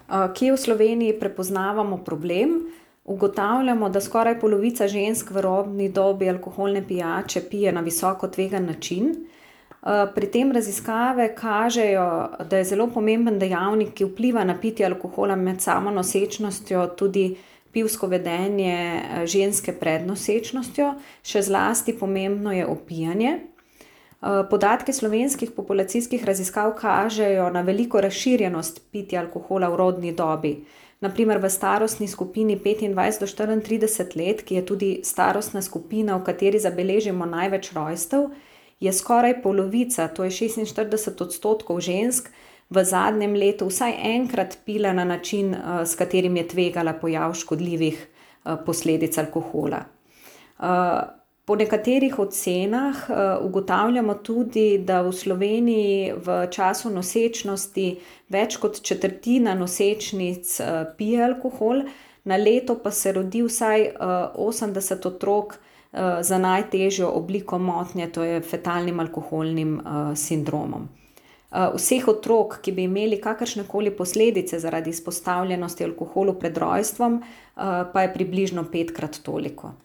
Kje v Sloveniji prepoznavamo problem? Ugotavljamo, da skoraj polovica žensk v rodni dobi alkoholne pijače pije na visoko tvegan način. Pri tem raziskave kažejo, da je zelo pomemben dejavnik, ki vpliva na pitje alkohola med samo nosečnostjo, tudi pivsko vedenje ženske pred nosečnostjo, še zlasti pomembno je opijanje. Podatki slovenskih populacijskih raziskav kažejo na veliko razširjenost pitja alkohola v rodni dobi. Naprimer v starostni skupini 25 do 34 let, ki je tudi starostna skupina, v kateri zabeležimo največ rojstev, je skoraj polovica, to je 46% žensk, v zadnjem letu vsaj enkrat pila na način, s katerim je tvegala pojav škodljivih posledic alkohola. Po nekaterih ocenah ugotavljamo tudi, da v Sloveniji v času nosečnosti več kot četrtina nosečnic pije alkohol, na leto pa se rodi vsaj 80 otrok za najtežjo obliko motnje, to je fetalnim alkoholnim sindromom. Vseh otrok, ki bi imeli kakršnekoli posledice zaradi izpostavljenosti alkoholu pred rojstvom, pa je približno 5-krat toliko.